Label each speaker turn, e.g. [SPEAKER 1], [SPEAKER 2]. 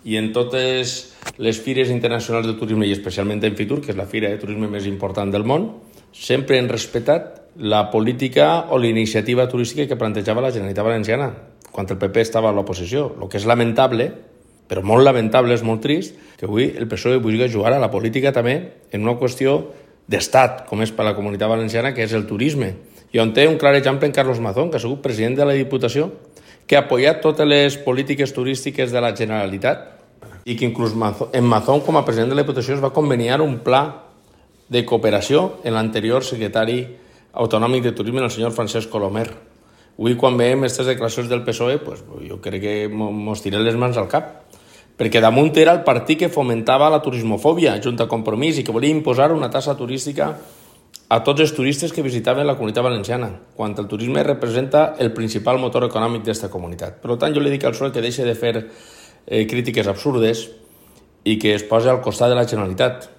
[SPEAKER 1] i en totes les fires internacionals de turisme, i especialment en Fitur, que és la fira de turisme més important del món, sempre han respectat la política o la iniciativa turística que plantejava la Generalitat Valenciana quan el PP estava a l'oposició. El que és lamentable, però molt lamentable, és molt trist, que avui el PSOE vulgui jugar a la política també en una qüestió d'estat, com és per a la Comunitat Valenciana, que és el turisme. I on té un clar exemple en Carlos Mazón, que ha sigut president de la Diputació, que ha apoyat totes les polítiques turístiques de la Generalitat i que inclús en Mazón, com a president de la Diputació, es va conveniar un pla de cooperació en l'anterior secretari autonòmic de turisme, el senyor Francesc Colomer. Avui, quan veiem aquestes declaracions del PSOE, pues, jo crec que mos tirem les mans al cap, perquè damunt era el partit que fomentava la turismofòbia, junt a Compromís, i que volia imposar una taxa turística a tots els turistes que visitaven la Comunitat Valenciana, quan el turisme representa el principal motor econòmic d'aquesta comunitat. Per tant, jo li dic al PSOE que deixi de fer crítiques absurdes i que es posi al costat de la Generalitat.